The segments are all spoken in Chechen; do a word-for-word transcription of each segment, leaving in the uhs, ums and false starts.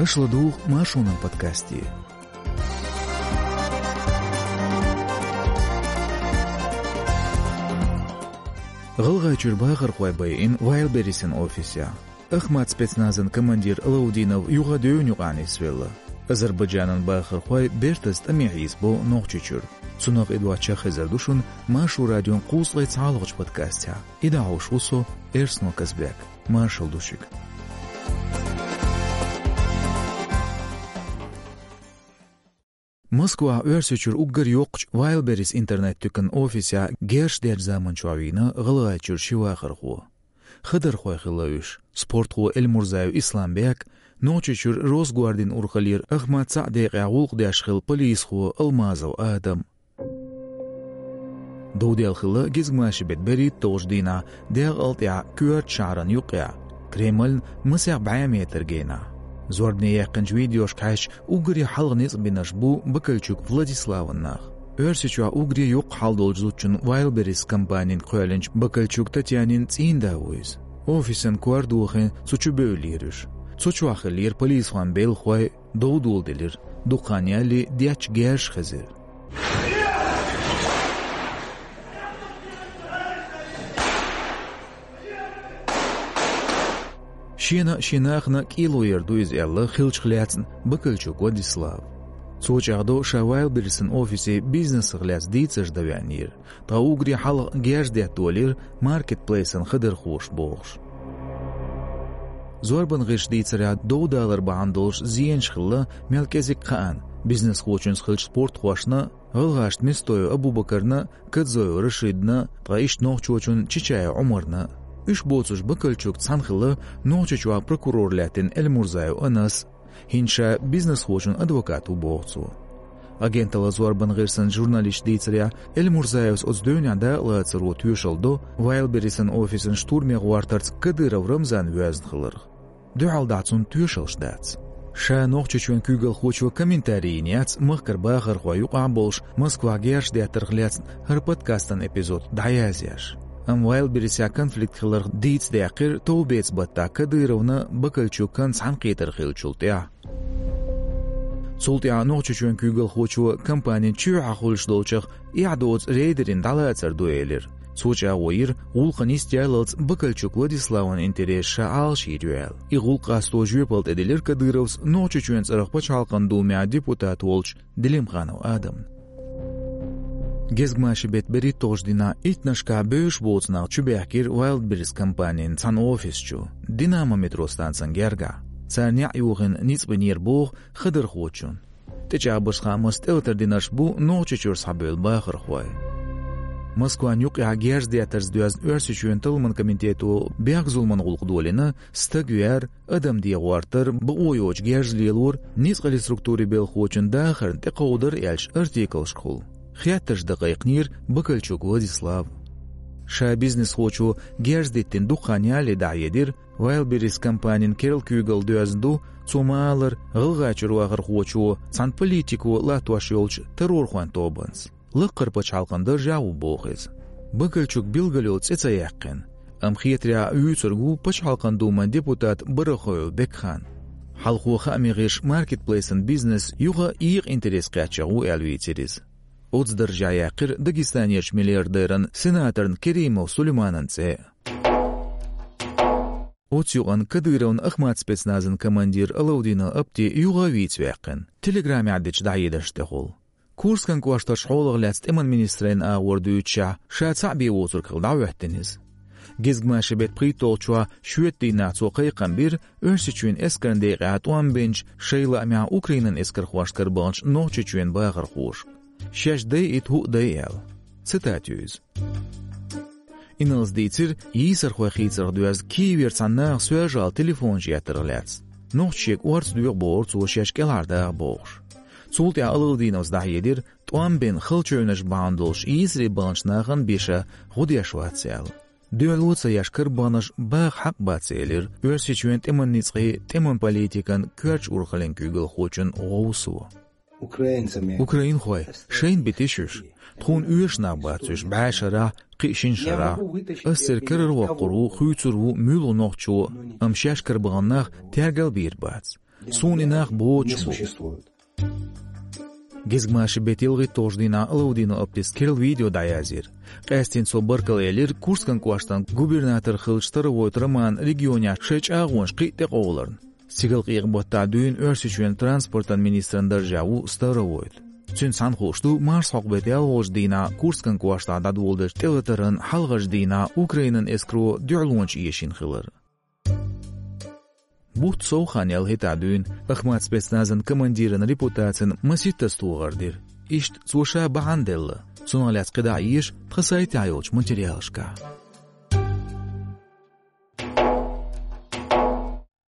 Аша ладугӀу Маршонан подкасте. ГӀалгӀайчуьра бахархой байина Вайлдберрисен офисехь. Ахмат спецназан командир Алаудинов юха девнна юкъахь нисвелла. Азербайджанан бахархой бертаза тӀаме хьийзабо Нохчийчуьра. Цунах а доцчу хезар ду шуна Маршо радион кхузткъе цхьалгӀачу подкастехь. И дӀахьош ву со, Эрсно Казбек. Маршалла ду шуьга. Москвахь Оьрсийчуьра уггар йоккхачу Вайлдберрис интернет-туьканан офисехь герз дечу заманчохь вийна ГӀалгӀайчуьра ши вахархо. Хадархой хилла уьш: спортхо Эльмурзаев Исламбек, Нохчийчуьра Росгвардин урхаллера Ахмат цхьаъ декъехь гӀуллакх деш хилла полисхо Алмазов Адам. Дов даьлла хилла гезгмашин беттан берхӀитталгӀачу дийнахь декъала тӀехь коьртачу шахьарна юккъехь, Кремльна масех бӀе метр генахь. Зорбане яьккхинчу видеошка хьаьжча, уггаре хьалха ницкъ бинарш бу Бакальчук Владиславан нах. Оьрсийчохь уггаре йоккха хьал долчу зудчун Вайлдберрис компанина кхоьллинчу Бакальчук Татьянин цӀийнда ву иза. Офисан кор дохийна, цу чу бевллера уьш. Цу чохь хиллера полисхойн белхахой, дов доладелира, дукха хан ялале детташ герзаш хезира. Шена а, шен нахана а кӀело яр ду иза аьлла, хиллачух лаьцна Бакальчук Владислава. Цо чӀагӀдо, ша Вайлдберрисан офисе бизнесах лаьцна дийцарш дан веанера. Ткъа уггаре хьалха герз детта долийра маркетплейсан хадархоша бохуш. Зорбан гӀирсаша дийцарехь, дов далар бахьана долуш зенаш хилла мел кӀезиг хаанна: бизнесхочуьнца хиллачу спортхошна, гӀалгӀашна Местоев Абубакарна, Кадзоев Рашидна, ткъа иштта нохчочунна Чичаев Ӏумарна. Уьш боцуш Бакальчукца цхьаьна хилла Нохчийчохь прокурор лаьттина Эльмурзаев Анас, хӀинца ша бизнесхочун адвокат ву боху цо. Агенталлин зорбан гӀирсан журналисташа дийцарехь, Эльмурзаевс оцу девнехь дакъалацаро тоьшалла до Вайлдберрисан офисан штурме гӀортарца Кадыров Рамзан воьзна хиларх. Дуьхьал дахьа цунна тоьшаллаш дац. Ша Нохчийчоьнан куьйгалхочо комментарий йина яц махкара бахархой юкъахь болуш Москвахь герзаш деттарх лаьцна хӀара подкастан эпизод дӀаязъеш. Амма Вайлдберрисехь конфликт хиларх дийца даьккхира товбеца баттахь Кадыровна Бакальчукан цхьаьнакхетар хиллачул тӀаьхьа. Цул тӀаьхьа Нохчийчоьнан куьйгалхочо компанин чоьхьа хуьлуш долчух эхь доцу рейдерийн дӀалацар ду элира. Цо чӀагӀо йира, гӀуллакхан йистехьаллалц Бакальчук Владиславан интересаш ша Ӏалашйийр ю аьлла. И гӀуллакх къасто жоьпалла тӀеделира Кадыровс Нохчийчоьнан цӀарах Пачхьалкхан Думехь депутат волчу Делимханов Адамна. Гезгмашин беттан берхӀитталгӀачу дийнахь иттаннашкахь бевзаш боцу нах чубаьхкира Вайлдберрис компанин цхьана офис чу, Динамо метро станцин гергахь. Цара неӀ йохийна ницкъ бинера боху хадархочунна. ТӀечӀагӀбеш хаамашца тӀелатар динарш бу Нохчийчуьра схьабевлла бахархой. Москван юккъехь герз деттарца доьзна Оьрсийчоьнан талламан комитето бехк-зуламан гӀуллакх долийна, стаг вер, адам дегӀортар, бакъо йоцуш герз лелор, ницкъаллин структурийн белхахочун дахарна тӀекховдар аьллачу артиклашкахула. Хеттарш дан кхайкхинера Бакальчук Владислава. Ша бизнесхочо герз диттина дукха хан ялале дӀахьедира, Вайлдберрис компанин керла куьйгалла доьзна ду, цо ма-аллара, ГӀалгӀайчуьра вахархочо цхьана политико латтош йолчу террорхойн тобанца. Лаккхара пачхьалкхан даржехь ву боху иза. Бакальчук билггал йолу цӀе ца яьккхина, амма хетарехь вуьйцург ву Пачхьалкхан Думан депутат Барахоев Бекхан. Хьалхо хаамийн гӀирсаша маркетплейсан бизнес юха а екъа интерес кхаьчнарг ву аьлла вийцира иза. Оцу даржехь яьккхира Дагестанерчу миллиардеран, сенаторна Керимов Сулейманан цӀе а. Оцу юкъана Кадыровн Ахмат спецназан командир Алаудинов Апти юха а вийца ваьккхина, телеграмехь дечу дӀахьедарш тӀехула. Курскан кӀоштарш хьолах лаьцна тӀеман министрийн агӀор дуьйцучехь, ша цхьаъ бен воцург хилла дӀахӀоьттина иза. Гезгмашин беттан пхийтталгӀачохь шоьтан дийнахь цо кхайкхам бира Оьрсийчоьнан эскарна декъехь тӀом бинчу, шайн лаамехь Украинан эскархошна карабаханчу Нохчийчоьнан бахархошка. Шаьш дайъийта хӀуъа дай аьлла. Цитата ю иза. Инарлас дийцира йийсархой хийцарх доьзна Киевера цхьана наха соьлжа-гӀала телефонаш еттарх лаьцна. Нохчаша шега орца доьху бохура цо шаьш кӀелхьардаха бохуш. Цул тӀаьхьа Алаудиновс дӀахьедира, тӀом бина хала чевнаш бахьана долуш йийсаре баханчу нахана бен ша гӀо деш вац аьлла. Дуьхьало ца еш карабаханарш баха хьакъ бац, элира Оьрсийчоьнан тӀеман ницкъийн, тӀеман политикан коьртачу урхаллин куьйгалхочун гӀовсо. Украинхой, шайна бен тешаш, тхуна оьшуш нах бац уьш бӀе шарахь, кхин шина шарахь. Ас церан карара воккхур ву, хуьйцур ву муьлхха нохчо, амма шаьш карабахана нах тергал бийр бац. Суна и нах боцуш бу. Гезгмашин беттан ялхитталгӀачу дийнахь Алаудинов Аптис керла видео дӀаязйира. Къаьсттина цо баркалла элира Курскан кӀоштан губернатор хиллачу Старовойт Романа регионехь шайн чӀагӀонаш кхин а тӀекъовларна. Стигалкъекъа-баттахь дуьйна Оьрсийчоьнан транспортан министран даржехь ву Старовойт. Цуьнца цхьаьна хууш ду марсхьокху беттан ялхолгӀачу дийнахь Курскан кӀоштахь дӀадоладеллачу тӀелатаран хьалхарчу дийнахь Украинан эскаро дуьхьалонаш эшийна хилар. Бутт сов хан яьлла хӀетахь дуьйна Ахмат спецназан командиран репутацина масийттаза тохар дира. Иштта цо ша бахьана делла. Цунах лаьцна кхидӀа а еша тхан сайтехь йолчу материалашкахь.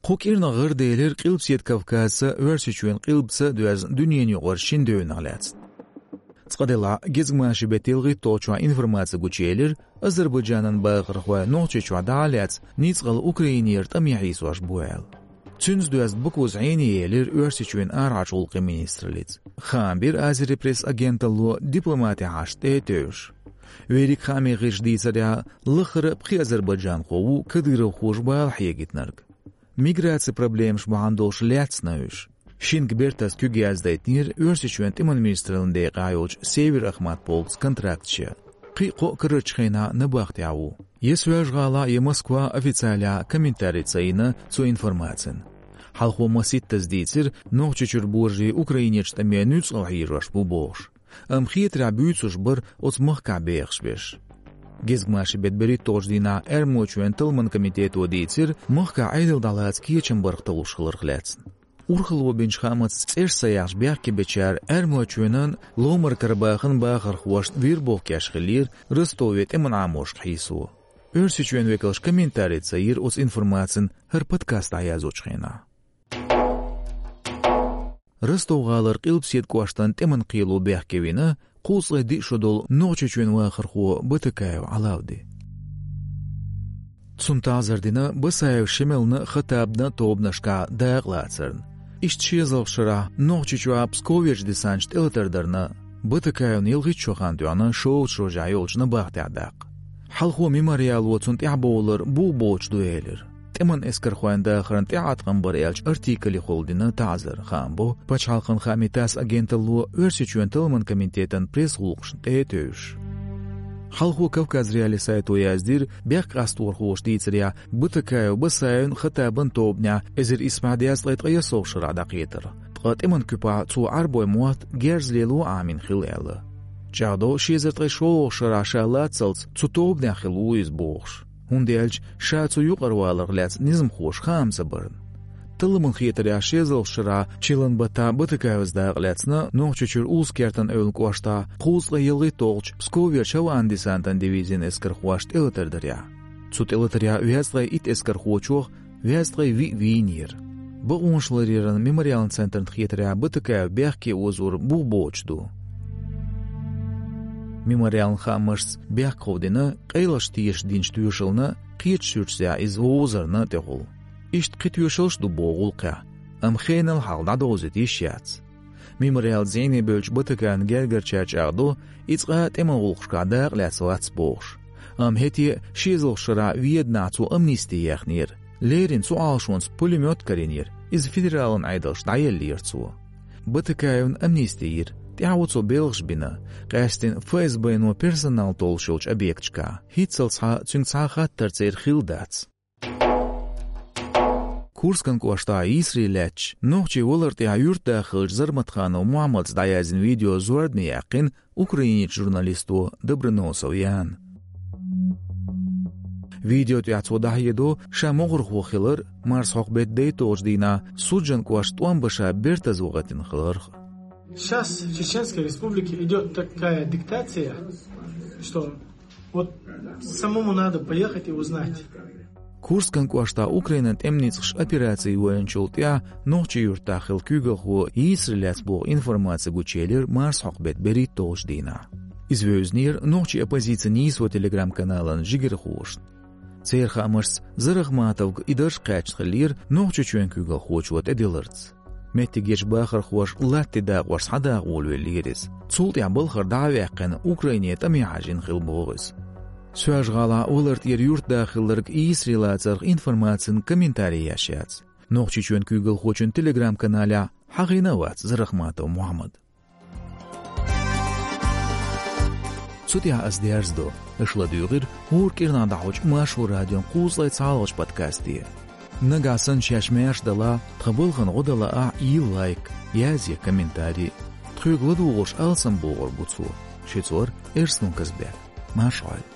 Кху кӀирнах гӀараделира Къилбаседа Кавказца, Оьрсийчоьнан къилбаца а доьзна дуьненаюкъарчу шина девнах лаьцна. Цкъа делахь, гезгмашин беттан ялхитталгӀачохь информаци гучуелира, Азербайджанан бахархой Нохчийчохь дӀа а лаьцна, ницкъала Украинера тӀаме хьийсош бу аьлла. Цуьнца доьзна Бакуза Ӏене елира Оьрсийчоьнан арахьарчу гӀуллакхийн министраллица. Хаам бира Азерпресс агенталло дипломатин хьашташ тӀе а тевжаш. Верриг хааман гӀирсаша дийцарехь, лаххара а пхи азербайджанхо ву кадыровхоша бала хьегийтинарг. Миграцин проблемаш бахьана долуш лаьцна уьш. Шинга бертаза куьг яздайтинера Оьрсийчоьнан тӀеман министраллин декъехь йолчу Север-Ахмат полкца контракташ ян. Кхин а кхо а карарчу хенахь набахтехь ву. Я Соьлжа-ГӀалахь, я Москвахь официалехь комментарий ца йина цу информацина. Хьалхо масийттаза дийцира, Нохчийчуьра божарий Украинерчу тӀаме нуьцкъала хьежош бу бохуш. Амма хетарехь буьйцуш бара оцу махкахь бехаш берш. Гезгмашин беттан берхӀитталгӀачу дийнахь Эрмалойчоьнан талламан комитето дийцира, махкахь Ӏедал дӀалаца кечам барх талуш хиларх лаьцна. Урхалло бинчу хаамца цӀераш ца яхьаш бехке бечара Эрмалойчоьнан, Ломара-Карабахан бахархошна вербовка еш хиллера Ростове тӀеман Ӏаморшка хьийсо. Оьрсийчоьнан векалша комментарий ца йира оцу информацина хӀара подкаст дӀаяздечу хенахь. Ростов-гӀалара Къилбаседа кӀоштан тӀеман кхело бехке вина кхузткъе диъ шо долу Нохчийчоьнан вахархо Батакаев Ӏалавди. Цунна таӀзар дина Басаев Шемална а, Хаттабна а тобанашкахь дакъа лацарна. Иштта ши эзарлагӀчу шарахь Нохчийчохь Псковерчу десанташа тӀелатар дарна, Батакаевна ялхитта шо хан тоьхна шовзткъа шо жа йолчу набахтехь даккха. Хьалхо Мемориало цунна тӀаьхьабовлар бух боцуш ду элира. ТӀеман эскархойн дахарна тӀеӀаткъам бара аьллачу артикалехула дина таӀзар, хаам бо пачхьалкхан хаамийн ТАСС агенталло Оьрсийчоьнан талламан комитетан пресс-гӀуллакхашна тӀе а тевжаш. Хьалхо Кавказ.Реалии сайто яздира, бехк къасторхоша дийцарехь, Батакаев Басаевн, Хаттабан тобанехь эзар исс бӀе дезткъе ткъайоьсналгӀчу шарахь дӀакхетара. Ткъа тӀеман куьпахь цо Ӏарбойн мотт герз лело Ӏамийна хилла аьлла. ЧӀагӀдо ши эзар ткъе шолгӀачу шарахь ша лаццалц цу тобанехь хилла ву иза бохуш, хӀунда аьлча ша цу юкъара валарх лаьцна низамхоша хаам ца барна. Талламан хетарехь, ши эзарлагӀчу шарахь чиллан баттахь Батакаевс дакъа лаьцна Нохчийчуьра Улус-Кертан эвла кӀоштахь кхузткъе ялхитталгӀачу Псковерчу авиадесантан дивизин эскархоша тӀелатар дарехь. Цу тӀелатарехь везткъе итт эскархочух везткъе виъ вийнера. Бакъонаш ларъяран Мемориалан центрна хетарехь, Батакаев бехке озор бух боцуш ду. Мемориалан хаамашца, бехк ховдина къайлахчу тешаш динчу тоьшална, кхечу суьрташца иза вовзарна тӀехула. Иштта кхин тоьшаллаш а ду боху гӀуллакхехь, амма хенал хьалха дӀадовзийта йиш яц. Мемориалца зӀене бевллачу Батакаевн гергарчара чӀагӀдо, иза цкъа а тӀеман гӀуллакхашкахь дакъа лаьцна вац бохуш. Амма хӀетте а ши эзарлагӀчу шарахь Веданахь цо амнисти яьхнера. Леррина цу Ӏалашонца пулемёт карийнера, иза федералан Ӏедалшка дӀаеллера цо. Батакаевна амнисти йира, тӀаьхьо цо белхаш бина, къаьсттина ФСБ-но персонал толлуш йолчу объекташкахь. ХӀинццалц цхьа цуьнга цхьа а хаттар церан хилла дац. Курскан кӀоштахь йийсаре лаьттачу нохчийн валар тӀехь юьртда хиллачу Зарматханов Мухьаммадца дӀаяздина видео зорбане яьккхина Украинерчу журналисто Доброносов Яна. Видео тӀехь цо дӀахьедо ша могӀархо хилар, марсхьокху беттан дейтталгӀачу дийнахь Суджан кӀоштан тӀом бан ша бертаза вахийтина хиларх. Сейчас в Чеченской Республике идёт такая диктация, что вот самому надо поехать и узнать. Курскан кӀоштахь Украинан тӀеман ницкъаша операци йойначул тӀаьхьа нохчийн юьртахь хилла куьйгалхо йийсаре лаьцна боху информаци гучуелира марсхьокху беттан берхӀитталгӀачу дийнахь. Иза вевзинера нохчийн оппозицин «Нийсо» телеграм-каналан жигархошна. Церан хаамашца, Зарахматовга и дарж кхаьчна хиллера Нохчийчоьнан куьйгалхочо тӀедилларца. Меттигерчу бахархоша латте дакъош схьадаха волавеллера иза. Цул тӀаьхьа балхара дӀа а ваьккхина, Украине тӀаме хьажийна хилла боху иза. Соьлжа-ГӀалахь валар тӀера юьртда хилларг йийсаре лацарх информацин комментарий еш яц. Нохчийчоьнан куьйгалхочун Telegram-каналехь хьахийна а вац Зарахматов Мухьаммад. Цу тӀехь ас дерзадо, аша ладуьйгӀира хӀора кӀирнахь дӀахьочу Маршо радион кхузткъе цхьалгӀачу подкасте. Нагахь санна шаьш маьрша далахь, тхан балхана гӀо дан лаахь, йийла лайк, язъе комментарий. Тхоьга ладугӀуш алсам бохур бу цо. Шуьца вара Эрсун Казбек. Марша Ӏойла.